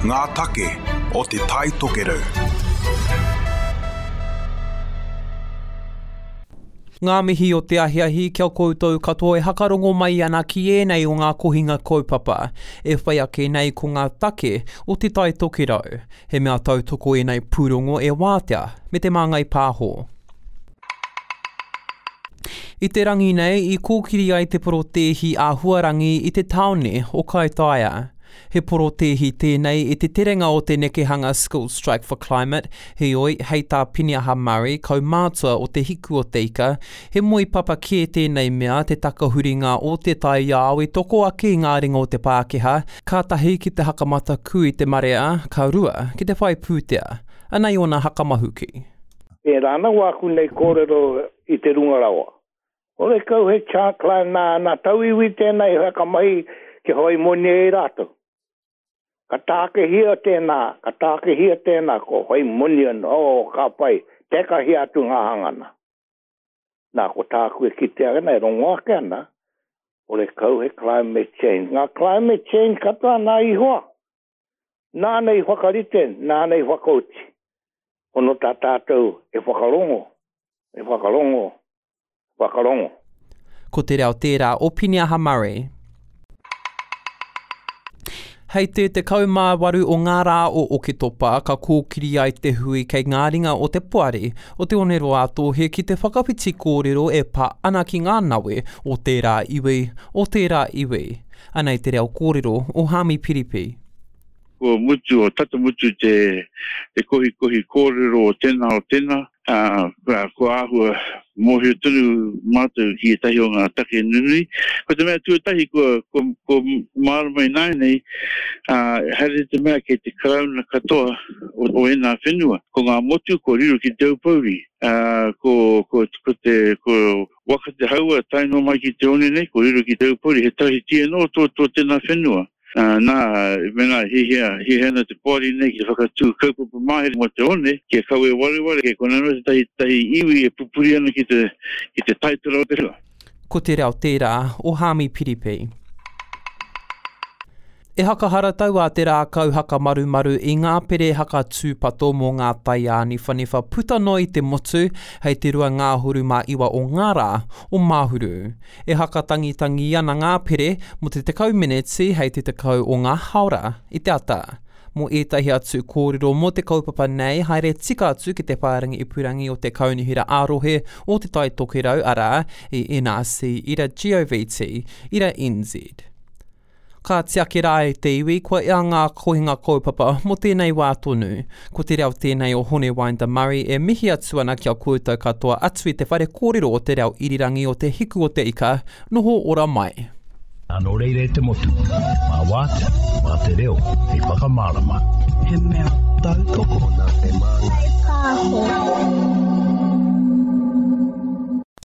Ngā take o Te Tai Tokerau. Ngā mihi o te ahiahi kia koutou katoa e hakarongo mai ana ki ēnei o ngā kohinga kaupapa e whai ake nei ko ngā take o Te Tai Tokerau. He mea tautoko ēnei pūrongo e Wātea me Te Māngai Pāho. I te rangi nei, i kōkiri ai te porotēhi āhuarangi i te tāone o Kaitaia. He porotēhi tēnei i te terenga o te nekehanga School Strike for Climate, heoi, hei tā Piniaha Murray, kaumātua o Te Hiku o Te Ika, he moepapa kē tēnei mea te takahuringa o te taiao i toko ake i ngā ringa o te Pākehā, ka tahi ki te hakamataku i te marea, ka rua, ki te whai pūtea. Anei ōna hakamahuki. Pērā ana wāku nei kōrero i te runga rawa. Horekau he chancla nā, nā tauiwi tēnā i whakamahi kia whai moni ai rātou. Ka tākehia tēnā, ka tākehia tēnā, ko whai moni anō, oh, ka pai, tekahia atu ngā hangana. Nā, ko tāku e kite ana, e rongo ake ana, horekau he climate change. Ngā climate change katoa nā Ihoa. Nāna i whakarite, nāna i whakaoti. Hono tā tātou e whakarongo, e whakarongo, whakarongo. Ko te reo tērā o Piniaha Murray. Hei te 18 o ngā rā o Oketopa ka kōkiri ai te hui kei ngā ringa o te Poari o Te Oneroa-a-Tōhe ki te whakawhiti kōrero e pā ana ki ngā nawe o tērā iwi, o tērā iwi. Anei te reo kōrero o Haami Piripi. Kua mutu, o tata mutu te te kohikohi kōrero o tēnā o tēnā, ā, kua āhua mōhio tonu mātou ki ētahi o ngā take nunui. Ko te mea tuatahi kua, kua, kua mārama ināianei, ā, haere te mea kei te Karauna katoa o, o ēnā whenua. Ko ngā motu kua riro ki Te Aupōuri, ā, ko, ko, ko te, ko Waka Te Haua tae noa mai ki te one nei, kua riro ki Te Aupōuri, he tawhiti anō tō, tō tēnā whenua. Nā, mēnā e hiahia, hiahia ana te poari nei ki te whakatū kaupapa mahere mō te one, kia kawe wareware, kei konei anō tētahi, tētahi iwi e pupuri ana ki te, ki te taitara o te whenua. Ko te reo tērā o Haami Piripi. E hakaharatau a Te Rākau Hakamarumaru i ngā pere hakatūpato mō ngā tai āniwhaniwha puta noa i te motu hei te 29 o ngā rā o Mahuru. E hakatangitangi ana ngā pere mō te 10 meneti hei te 10 o ngā haora i te ata. Mō ētahi atu kōrero mō te kaupapa nei, haere tika atu ki te whārangi ipurangi o te Kaunihera ā-Rohe o Te Tai Tokerau, arā, i NRC ira govt ira NZ. Ka tiaki rā e te iwi, kua ea ngā kohinga kaupapa mō tēnei wā tonu. Ko te reo tēnei o Hone Winder Murray e mihi atu ana ki a koutou katoa atu i te whare kōrero o te reo irirangi o Te Hiku o Te Ika, noho ora mai. Nō reira e te motu, mā Wātea, mā te reo hei whakamārama. He mea tautoko.